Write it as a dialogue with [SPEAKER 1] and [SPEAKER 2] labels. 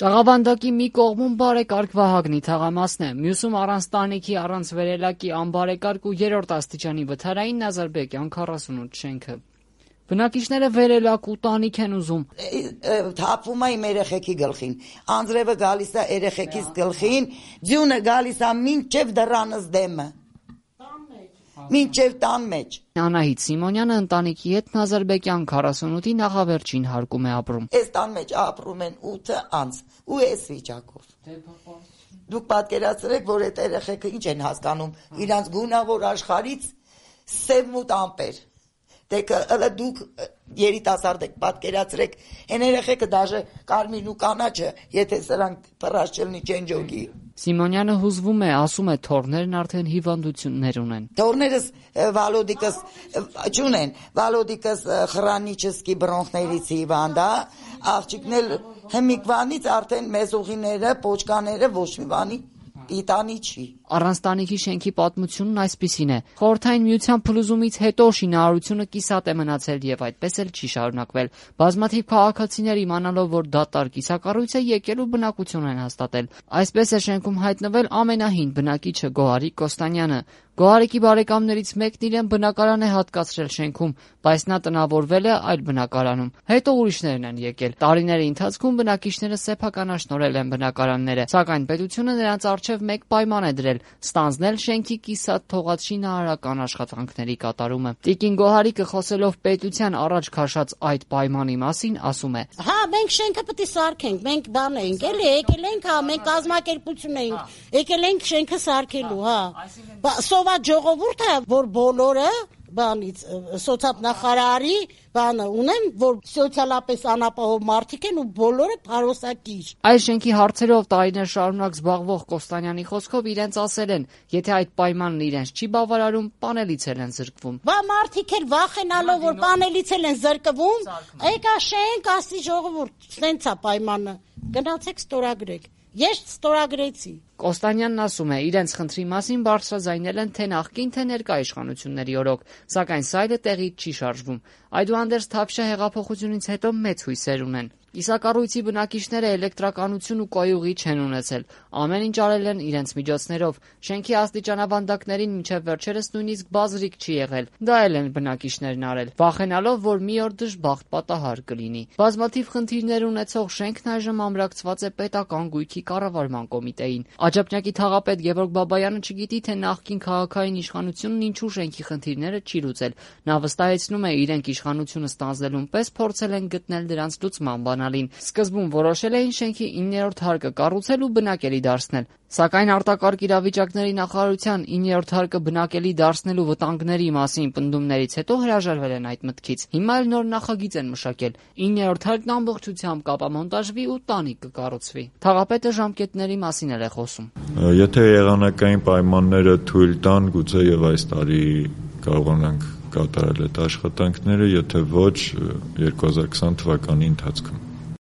[SPEAKER 1] Ճաղավանդակի մի կողմում բարեկարգ Վահագնի թաղամասն է, մյուսում առանց տանիքի, առանց վերելակի անբարեկարգ ու 3-րդ աստիճանի վթարային Նազարբեկյան 48 շենքը։ Բնակիչները վերելակ ու տանիք են ուզում։
[SPEAKER 2] Թափվում է իմ երեխեքի գլխին, անձրևը գալիս է երեխեքիս գլխին, ձյունը գալիս է մինչև դռանս դեմը, մինչև տան մեջ։
[SPEAKER 1] Անահիտ Սիմոնյանը ընտանիքի հետ Նազարբեկյան 48-ի նախավերջին հարկում է ապրում։
[SPEAKER 2] Այս տան մեջ ապրում են 8 անձ ու այս վիճակով։ Դուք պատկերացրեք, որ այդ երեխեքը ինչ են հասկանում, իրանց գունավոր աշխարհից սև-մութ ամպեր։ Դուք երիտասարդ եք, պատկերացրեք, այն երեխեքը դաժե կարմիրն ու կանաչը, եթե սրանք փռած չլինի չենջոգի։
[SPEAKER 1] Սիմոնյանը հուզվում է, ասում է, թորներն արդեն հիվանդություններ ունեն։
[SPEAKER 2] Թորներս Վալոդիկս չունեն, Վալոդիկս խրանիչսկի բրոնխներից հիվանդ է, աղջիկն էլ հմիկվանից արդեն մեզուղիները, պոչկաները ոչ մի բանի պիտանի չի։
[SPEAKER 1] Առանց տանիքի շենքի պատմությունն այսպիսին է։ Խորհրդային միության փլուզումից հետո շինարարությունը կիսատ է մնացել եւ այդպես էլ չի շարունակվել։ Բազմաթիվ քաղաքացիներ իմանալով, որ դատարկ կիսակառույց է, եկել ու բնակություն են հաստատել։ Այսպես է շենքում հայտնվել ամենահին բնակիչը Գոհարիկ Կոստանյանը։ Գոհարիկի բարեկամներից մեկն իրեն բնակարան է հատկացրել շենքում, բայց նա տնավորվել է այլ բնակարանում։ Հետո ուրիշներն են եկել։ Տարիների ընթացքում բնակիչները սեփականաշնորհել են բնակարանները, սակայն պետությունը նրանց առջև մեկ պայման է դրել՝ ստանձնել շենքի կիսատ թողած շինարարական աշխատանքների կատարումը։ Տիկին Գոհարիկը, խոսելով պետության առաջ քաշած այդ պայմանի մասին, ասում է.
[SPEAKER 3] Հա, մենք շենքը պետք է սարքենք, մենք բան ենք, էլի եկել ենք, հա, մենք կազմակերպություն ենք, եկել ենք շենքը սարքելու, հա։ Սոված ժողովուրդ է, որ բոլորը բանից սոցիալնախարարի բանը ունեն, որ սոցիալապես անապահով մարդիկ են ու բոլորը փարոսակիր։
[SPEAKER 1] Այս շենքի հարցերով տարիներ շարունակ զբաղվող Կոստանյանի խոսքով իրենց ասել են, եթե այդ պայմանն իրենց չի բավարարում, պանելից են զրկվում։
[SPEAKER 3] Բա մարդիկ էլ վախենալով, որ պանելից են զրկվում, եկա շենք, ասի ժողովուրդ, սենց է պայմանը, գնացեք ստորագրեք։ Ես ստորագրեցի։
[SPEAKER 1] Կոստանյանն ասում է, իրենց խնդրի մասին բարձրաձայնել են թե նախկին, թե ներկա իշխանությունների օրոք, սակայն սայլը տեղից չի շարժվում։ Այդուհանդերձ Թավշյա հեղափոխությունից հետո մեծ հույսեր ունեն։ Կիսակառույցի բնակիչները էլեկտրականություն ու կոյուղի չեն ունեցել։ Ամեն ինչ արել են իրենց միջոցներով։ Շենքի աստիճանավանդակներին մինչև վերջերս նույնիսկ բազրիկ չի եղել։ Դա էլ են բնակիչներն արել, վախենալով, որ մի օր դժբախտ պատահար կլինի։ Բազմաթիվ խնդիրներ ունեցող շենքն այժմ ամրացված է պետական գույքի կառավարման կոմիտեին։ Աջափնյակի թաղապետ Գևորգ Բաբայանը չգիտի, թե նախկին քաղաքային իշխանությունն ինչու շենքի խնդիրները չի լուծել։ Նա վստահեցնում է, իրենք իշխանությունը ստանձնելուն պես փորձել են գտնել դրանց լուծման բանալին։ Սկզբում որոշել էին շենքի 9-րդ հարկը կառուցել ու բնակելի դարձնել, սակայն արտակարգ իրավիճակների նախարարության 9-րդ հարկը բնակելի դարձնելու վտանգների մասին պնդումներից հետո հրաժարվել են այդ մտքից։ Հիմա էլ նոր նախագիծ են մշակել։ 9-րդ հարկն ամբողջությամբ կապամոնտաժվի ու տանիք կկառուցվի։ Թաղապետը ժամկետների մասին էլ է խոսում։
[SPEAKER 4] Եթե եղանակային պայմանները թույլ տան, գուցե եւ այս տարի կարողանանք կատարել այդ աշխատանքները, եթե ոչ 2020 թվականի ընթացքում։